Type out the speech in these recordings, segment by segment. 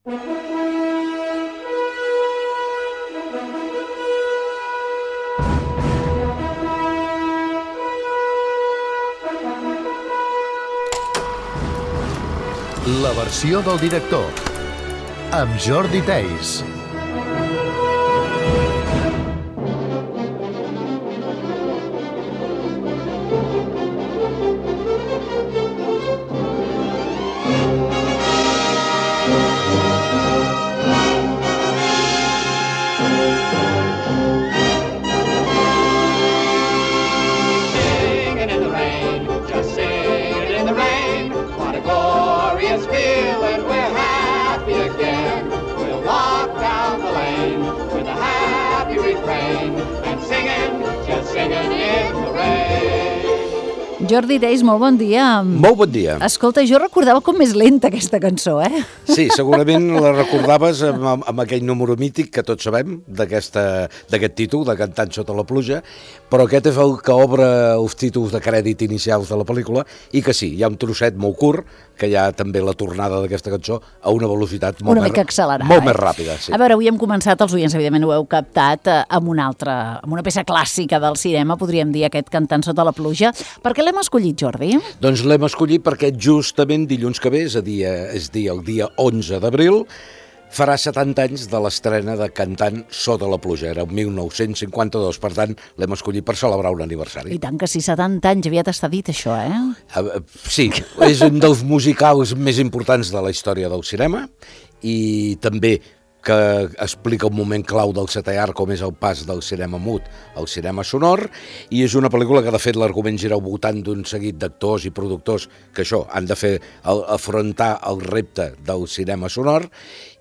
La versió del director, amb Jordi Theis. Jordi Theis, molt bon dia. Molt bon dia. Escolta, jo recordava com més lenta aquesta cançó, Sí, segurament la recordaves amb aquell número mític que tots sabem d'aquest títol, de Cantant sota la pluja, però aquest és el que obre els títols de crèdit inicials de la pel·lícula i que sí, hi ha un trosset molt curt que hi ha també la tornada d'aquesta cançó a una velocitat molt mica accelerada, molt més ràpida. Sí. A veure, avui hem començat, els oients evidentment ho heu captat, amb una peça clàssica del cinema, podríem dir, aquest Cantant sota la pluja. Per què l'hem escollit, Jordi? Doncs l'hem escollit perquè justament dilluns que ve, és el dia 11 d'abril, farà 70 anys de l'estrena de Cantant sota la pluja, era el 1952, per tant l'hem escollit per celebrar un aniversari. I tant que sí, 70 anys, aviat està dit això, Sí, és un dels musicals més importants de la història del cinema i també que explica un moment clau del setè art, com és el pas del cinema mut al cinema sonor, i és una pel·lícula que de fet l'argument gira al voltant d'un seguit d'actors i productors que això, han de fer afrontar el repte del cinema sonor,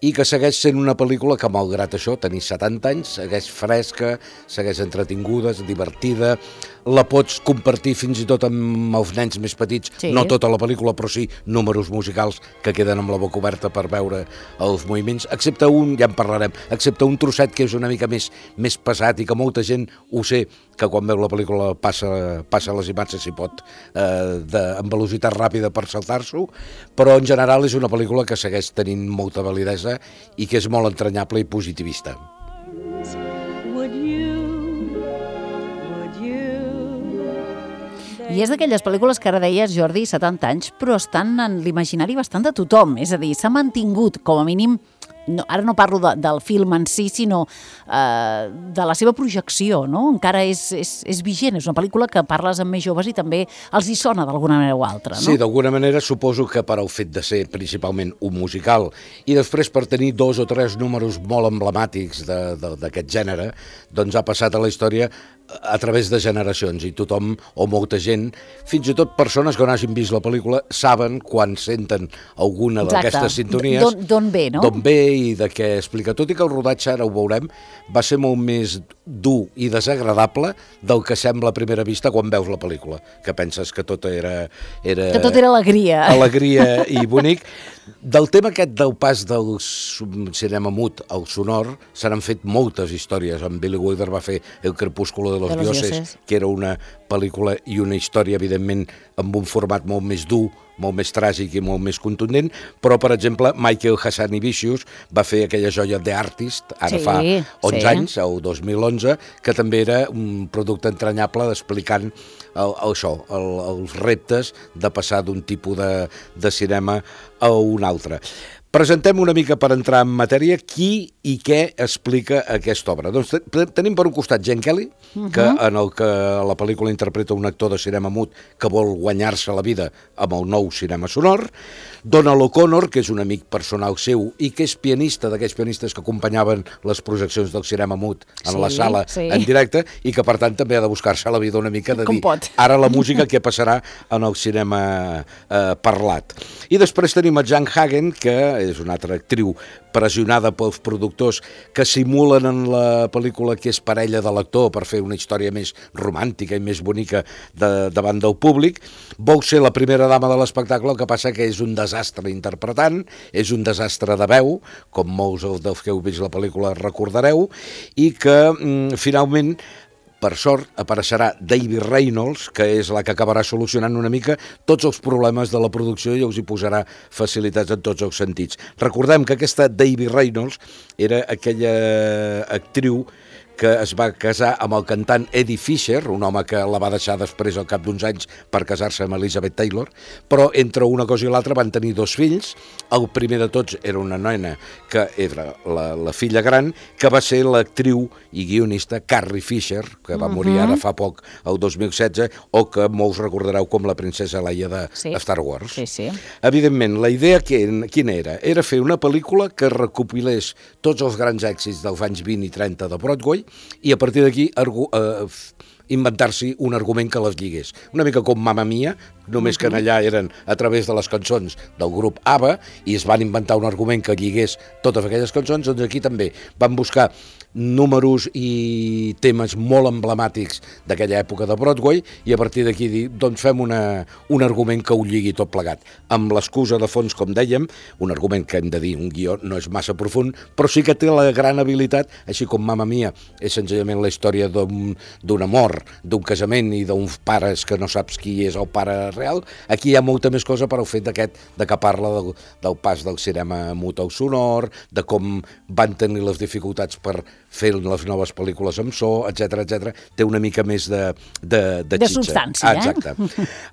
i que segueix sent una pel·lícula que, malgrat això, tenir 70 anys, segueix fresca, segueix entretinguda, divertida, la pots compartir fins i tot amb els nens més petits, sí. No tota la pel·lícula, però sí números musicals que queden amb la boca oberta per veure els moviments, excepte un, ja en parlarem, excepte un trosset que és una mica més pesat i que molta gent ho sé, que quan veu la pel·lícula passa les imatges, si pot, amb velocitat ràpida per saltar-s'ho, però en general és una pel·lícula que segueix tenint molta validesa i que és molt entranyable i positivista. I és d'aquelles pel·lícules que ara deies, Jordi, 70 anys, però estan en l'imaginari bastant de tothom, és a dir, s'ha mantingut, com a mínim, no, ara no parlo del film en si, sinó de la seva projecció, no? Encara és vigent, és una pel·lícula que parles amb més joves i també els hi sona d'alguna manera o altra, no? Sí, d'alguna manera suposo que per al fet de ser principalment un musical i després per tenir 2 o 3 números molt emblemàtics d'aquest gènere, doncs ha passat a la història a través de generacions i tothom o molta gent, fins i tot persones que no hagin vist la pel·lícula, saben quan senten alguna d'aquestes sintonies d'on ve, no? D'on ve i de què explica. Tot i que el rodatge, ara ho veurem, va ser molt més dur i desagradable del que sembla a primera vista quan veus la pel·lícula, que penses que tot era... Que tot era alegria. Alegria i bonic. Del tema aquest del pas del cinema mut al sonor se n'han fet moltes històries. En Billy Wilder va fer El crepúsculo de los dioses, que era una pel·lícula i una història, evidentment, amb un format molt més dur, molt més tràgic i molt més contundent, però, per exemple, Michael Hazanavicius va fer aquella joia The Artist, ara fa 11 anys, el 2011, que també era un producte entranyable explicant els reptes de passar d'un tipus de cinema a un altre. Presentem una mica per entrar en matèria qui i què explica aquesta obra. Doncs tenim per un costat Gene Kelly, que en el que la pel·lícula interpreta un actor de cinema mut que vol guanyar-se la vida amb el nou cinema sonor, Donald O'Connor, que és un amic personal seu i que és pianista, d'aquells pianistes que acompanyaven les projeccions del cinema mut en la sala en directe i que per tant també ha de buscar-se la vida una mica de dir ara la música què passarà en el cinema parlat. I després tenim a Jan Hagen, que és una altra actriu pressionada pels productors que simulen en la pel·lícula que és parella de l'actor per fer una història més romàntica i més bonica davant del públic. Vol ser la primera dama de l'espectacle, el que passa que és un desastre interpretant, és un desastre de veu, com molts dels que heu vist la pel·lícula recordareu, i que finalment Per sort, apareixerà David Reynolds, que és la que acabarà solucionant una mica tots els problemes de la producció i us hi posarà facilitats en tots els sentits. Recordem que aquesta David Reynolds era aquella actriu que es va casar amb el cantant Eddie Fisher, un home que la va deixar després al cap d'uns anys per casar-se amb Elizabeth Taylor, però entre una cosa i l'altra van tenir 2 fills. El primer de tots era una nena que era la filla gran, que va ser l'actriu i guionista Carrie Fisher, que va morir ara fa poc, el 2016, o que molts recordareu com la princesa Leia de Star Wars. Sí. Evidentment, la idea quina era? Era fer una pel·lícula que recopilés tots els grans èxits dels anys 20 i 30 de Broadway i a partir d'aquí inventar-s'hi un argument que les lligués. Una mica com Mamma Mia, només que allà eren a través de les cançons del grup ABBA i es van inventar un argument que lligués totes aquelles cançons, doncs aquí també van buscar números i temes molt emblemàtics d'aquella època de Broadway i a partir d'aquí dir, doncs fem un argument que ho lligui tot plegat. Amb l'excusa de fons, com dèiem, un argument que hem de dir, un guió no és massa profund, però sí que té la gran habilitat, així com Mamma Mia és senzillament la història d'un amor, d'un casament i d'uns pares que no saps qui és el pare real. Aquí hi ha molta més cosa per al fet de que parla del pas del cinema mut al sonor, de com van tenir les dificultats per fer les noves pel·lícules amb so, etc. Té una mica més de xitxa. Substància, Exacte.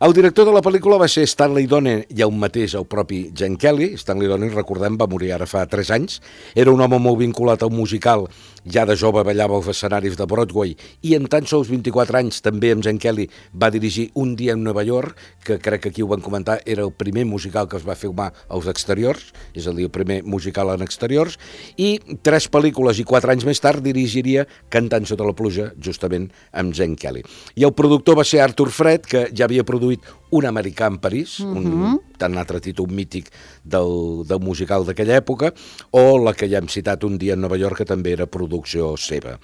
El director de la pel·lícula va ser Stanley Donen i el mateix, el propi Gene Kelly. Stanley Donen, recordem, va morir ara fa 3 anys. Era un home molt vinculat al musical, ja de jove ballava als escenaris de Broadway i en tan sols 24 anys també amb Gene Kelly va dirigir Un dia en Nova York, que crec que aquí ho van comentar, era el primer musical que es va filmar als exteriors, és a dir, el primer musical en exteriors, i 3 pel·lícules i 4 anys més tard dirigiria Cantant sota la pluja, justament amb Gene Kelly. I el productor va ser Arthur Fred, que ja havia produït Un americà en París, un tan altre títol mític del musical d'aquella època, o la que ja hem citat Un dia en Nova York, que també era producció seva.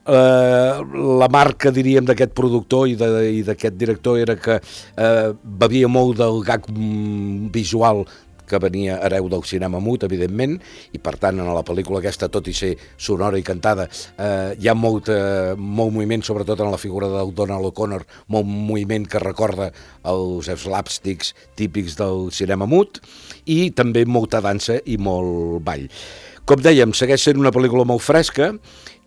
La marca, diríem, d'aquest productor i d'aquest director era que bevia molt del gag visual que venia hereu del cinema mut, evidentment, i per tant en la pel·lícula aquesta, tot i ser sonora i cantada, hi ha molt moviment, sobretot en la figura del Donald O'Connor, molt moviment que recorda els slapsticks típics del cinema mut, i també molta dansa i molt ball. Com dèiem, segueix sent una pel·lícula molt fresca,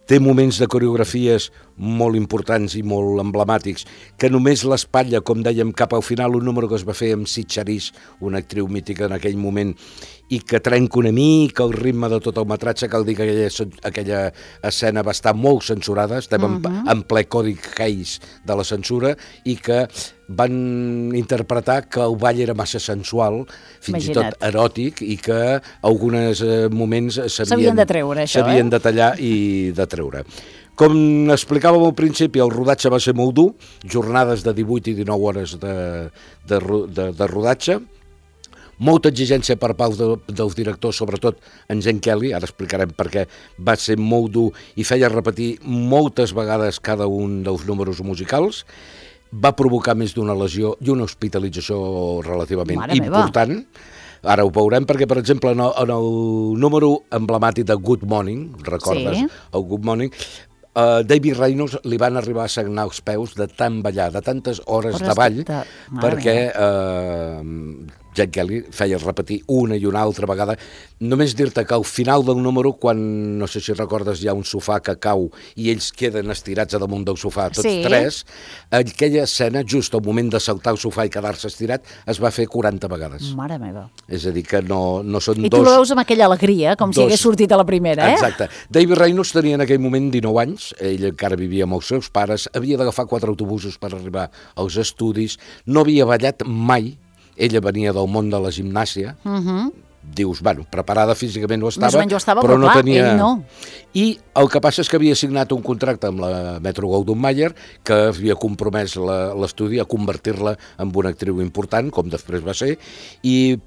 té moments de coreografies molt importants i molt emblemàtics, que només l'espatlla, com dèiem, cap al final, un número que es va fer amb Sid Charisse, una actriu mítica en aquell moment, i que trenca una mica el ritme de tot el metratge. Cal dir que aquella escena va estar molt censurada, estem en ple codi Hays de la censura, i que van interpretar que el ball era massa sensual, fins i tot eròtic, i que alguns moments s'havien de treure, això, s'havien de tallar i de treure. Com explicàvem al principi, el rodatge va ser molt dur, jornades de 18 i 19 hores de rodatge, molta exigència per part dels directors, sobretot en Gene Kelly, ara explicarem per què, va ser molt dur i feia repetir moltes vegades cada un dels números musicals, va provocar més d'una lesió i una hospitalització relativament important. Ara ho veurem perquè, per exemple, en el número emblemàtic de Good Morning, recordes el Good Morning, David Reynolds li van arribar a sagnar els peus de tant ballar, de tantes hores de ball, perquè Gene Kelly feia repetir una i una altra vegada. Només dir-te que al final del número, quan, no sé si recordes, hi ha un sofà que cau i ells queden estirats a damunt del sofà, tots tres, aquella escena, just al moment de saltar el sofà i quedar-se estirat, es va fer 40 vegades. Mare meva. És a dir, que no són dos... I tu la veus amb aquella alegria, com si hagués sortit a la primera, eh? Exacte. David Reynolds tenia en aquell moment 19 anys, ell encara vivia amb els seus pares, havia d'agafar 4 autobusos per arribar als estudis, no havia ballat mai. Ella venia del món de la gimnàsia, dius, bueno, preparada físicament ho estava, però no tenia... Ell no. I el que passa és que havia signat un contracte amb la Metro-Goldwyn-Mayer que havia compromès l'estudi a convertir-la en una actriu important, com després va ser, i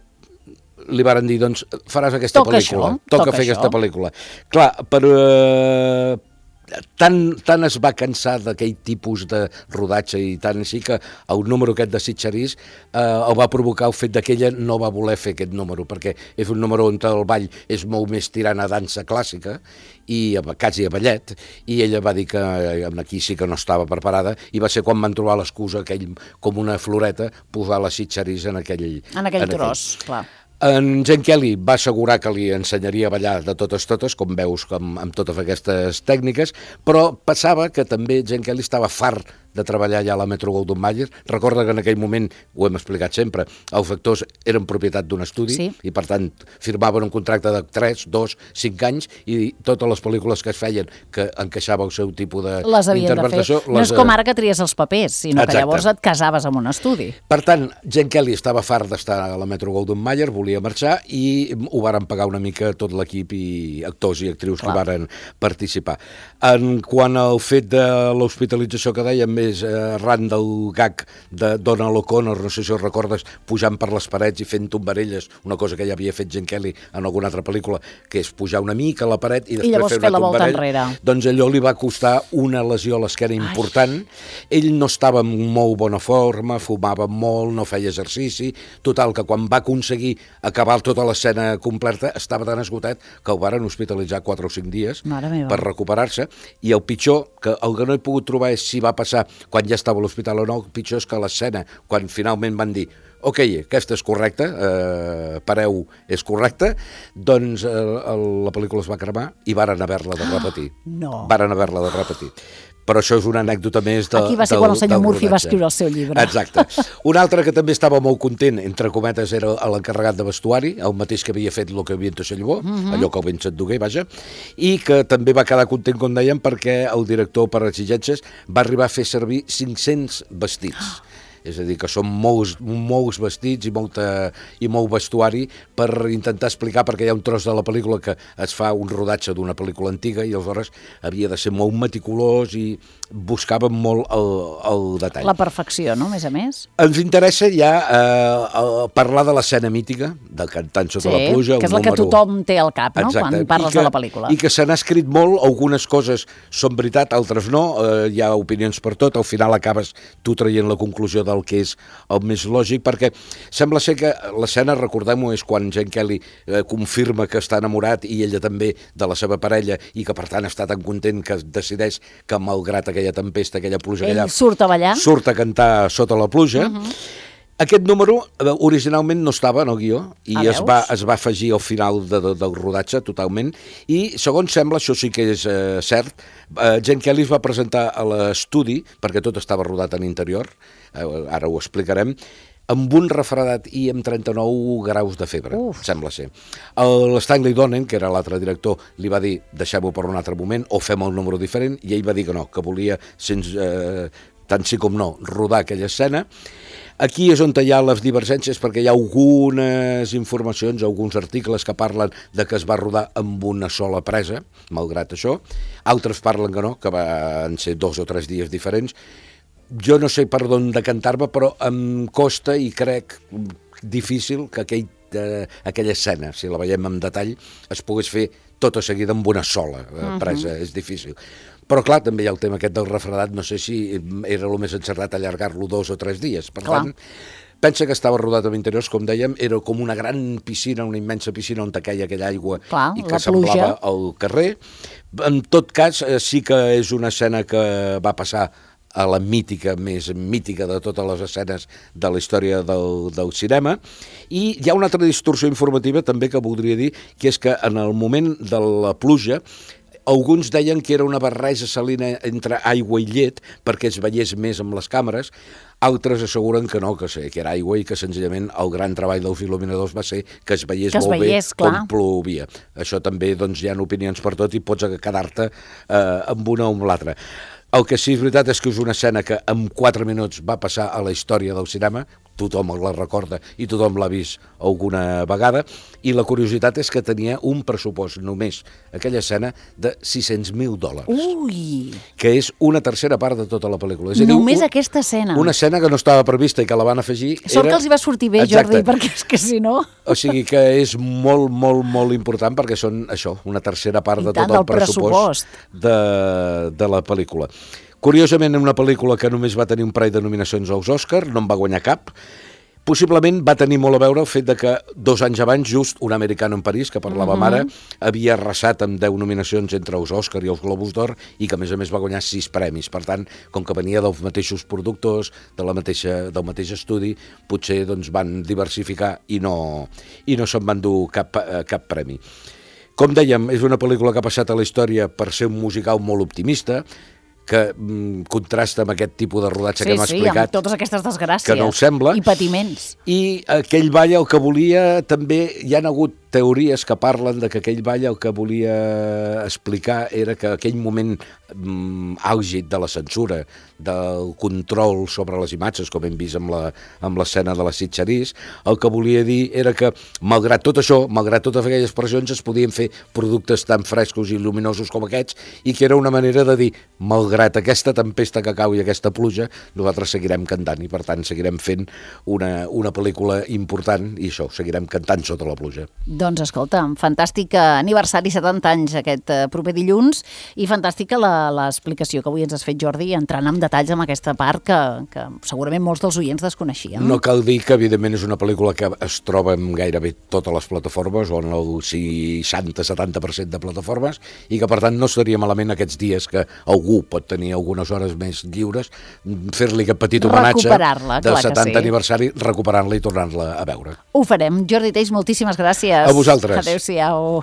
li varen dir, doncs, faràs aquesta pel·lícula. Toca fer aquesta pel·lícula. Clar, tant es va cansar d'aquell tipus de rodatge i tant així que el número aquest de Sitges el va provocar el fet que ella no va voler fer aquest número, perquè és un número on el ball és molt més tirant a dansa clàssica i quasi a ballet, i ella va dir que aquí sí que no estava preparada, i va ser quan van trobar l'excusa aquell, com una floreta, posar la Sitges en aquell tros, clar. En Gene Kelly va assegurar que li ensenyaria a ballar de totes, com veus, amb totes aquestes tècniques, però passava que també Gene Kelly estava fart de treballar ja a la Metro-Goldwyn-Mayer. Recorda que en aquell moment, ho hem explicat sempre, els actors eren propietat d'un estudi, i per tant firmaven un contracte de 3, 2, 5 anys, i totes les pel·lícules que es feien que encaixava el seu tipus d'interpretació... No és com ara que tries els papers, sinó que llavors et casaves amb un estudi. Per tant, Gene Kelly estava fart d'estar a la Metro-Goldwyn-Mayer, volia marxar, i ho varen pagar una mica tot l'equip i actors i actrius que varen participar. En quant al fet de l'hospitalització que dèiem, és arran del gag de Donald O'Connor, no sé si ho recordes, pujant per les parets i fent tombarelles, una cosa que ja havia fet Gene Kelly en alguna altra pel·lícula, que és pujar una mica a la paret i després fer una tombarella. Doncs allò li va costar una lesió a l'esquena important. Ell no estava en molt bona forma, fumava molt, no feia exercici, total, que quan va aconseguir acabar tota l'escena completa estava tan esgotat que el varen hospitalitzar 4 o 5 dies per recuperar-se, i el pitjor, que el que no he pogut trobar és si va passar quan ja estava a l'hospital o no, el pitjor és que l'escena, quan finalment van dir ok, aquesta és correcta, pareu, és correcta, doncs la pel·lícula es va cremar i varen haver-la de repetir. Varen haver-la de repetir. Però això és una anècdota més del rodatge. Aquí va ser quan el senyor Murphy va escriure el seu llibre. Exacte. Un altre que també estava molt content, entre cometes, era l'encarregat de vestuari, el mateix que havia fet Lo que viento se llevó, allò que el vent se't dugué, vaja, i que també va quedar content, com dèiem, perquè el director, per exigències, va arribar a fer servir 500 vestits. És a dir, que són molts vestits i molt vestuari per intentar explicar, perquè hi ha un tros de la pel·lícula que es fa un rodatge d'una pel·lícula antiga i aleshores havia de ser molt meticulós i buscaven molt el detall. La perfecció, no?, a més? Ens interessa ja parlar de l'escena mítica, del Cantant sota la pluja. Que és la que tothom té al cap, no?, quan parles de la pel·lícula. I que se n'ha escrit molt, algunes coses són veritat, altres no, hi ha opinions per tot, al final acabes tu traient la conclusió del que és el més lògic, perquè sembla ser que l'escena, recordem-ho, és quan Gene Kelly confirma que està enamorat i ella també de la seva parella i que per tant està tan content que decideix que malgrat aquella tempesta, aquella pluja, ell surt a ballar, surt a cantar sota la pluja. Aquest número originalment no estava en el guió i es va afegir al final del rodatge totalment, i segons sembla, això sí que és cert, Gene Kelly es va presentar a l'estudi, perquè tot estava rodat en interior, ara ho explicarem, amb un refredat i amb 39 graus de febre, sembla ser. L'Stanley Donen, que era l'altre director, li va dir, deixem-ho per un altre moment, o fem el número diferent, i ell va dir que no, que volia, tant sí com no, rodar aquella escena. Aquí és on hi ha les divergències, perquè hi ha algunes informacions, alguns articles que parlen de que es va rodar amb una sola presa, malgrat això. Altres parlen que no, que van ser 2 o 3 dies diferents. Jo no sé per d'on decantar-me, però em costa i crec difícil que aquella escena, si la veiem en detall, es pogués fer tota seguida amb una sola presa, és difícil. Però clar, també hi ha el tema aquest del refredat, no sé si era el més encertat allargar-lo 2 o 3 dies, per tant, pensa que estava rodat amb interiors, com dèiem, era com una gran piscina, una immensa piscina on queia aquella aigua i que semblava al carrer. En tot cas, sí que és una escena que va passar a la més mítica de totes les escenes de la història del cinema. I hi ha una altra distorsió informativa també que voldria dir, que és que en el moment de la pluja alguns deien que era una barreja salina entre aigua i llet perquè es veiés més amb les càmeres, altres asseguren que no, que era aigua i que senzillament el gran treball dels il·luminadors va ser que es veiés molt bé com plovia. Això també hi ha opinions per tot i pots quedar-te amb una o amb l'altra. El que sí és veritat és que és una escena que en 4 minuts va passar a la història del cinema, tothom la recorda i tothom l'ha vist alguna vegada, i la curiositat és que tenia un pressupost només, aquella escena, de $600.000. Ui! Que és una tercera part de tota la pel·lícula. És Només aquesta escena. Una escena que no estava prevista i que la van afegir... Sort que els hi va sortir bé, Jordi, perquè és que si no... O sigui que és molt, molt, molt important perquè són això, una tercera part de tot el pressupost de la pel·lícula. Curiosament, una pel·lícula que només va tenir un parell de nominacions als Òscar, no en va guanyar cap. Possiblement va tenir molt a veure el fet de que 2 anys abans, just Un americano en París, que parlàvem ara, havia arrasat amb 10 nominacions entre els Òscar i els Globus d'Or i que a més va guanyar 6 premis. Per tant, com que venia dels mateixos productors, del mateix estudi, potser doncs, van diversificar i no se'n van dur cap premi. Com dèiem, és una pel·lícula que ha passat a la història per ser un musical molt optimista, que contrasta amb aquest tipus de rodatge que hem explicat. Sí, amb totes aquestes desgràcies. Que no ho sembla. I patiments. I aquell ball el que volia també, hi han hagut teories que parlen de que aquell ball el que volia explicar era que aquell moment àlgid de la censura, del control sobre les imatges, com hem vist amb l'escena de la Sitges, el que volia dir era que, malgrat tot això, malgrat totes aquelles pressions, es podien fer productes tan frescos i lluminosos com aquests, i que era una manera de dir, malgrat aquesta tempesta que cau i aquesta pluja, nosaltres seguirem cantant, i per tant seguirem fent una pel·lícula important, i això, seguirem cantant sota la pluja. Doncs escolta, fantàstic aniversari, 70 anys aquest proper dilluns, i fantàstica l'explicació que avui ens has fet, Jordi, entrant en detalls amb aquesta part que segurament molts dels oients desconeixien. No cal dir que, evidentment, és una pel·lícula que es troba en gairebé totes les plataformes, o en el 60-70% de plataformes, i que, per tant, no seria malament aquests dies que algú pot tenir algunes hores més lliures, fer-li aquest petit homenatge del 70 aniversari, recuperant-la i tornant-la a veure. Ho farem. Jordi Teix, moltíssimes gràcies. A vosaltres. Adéu-siau.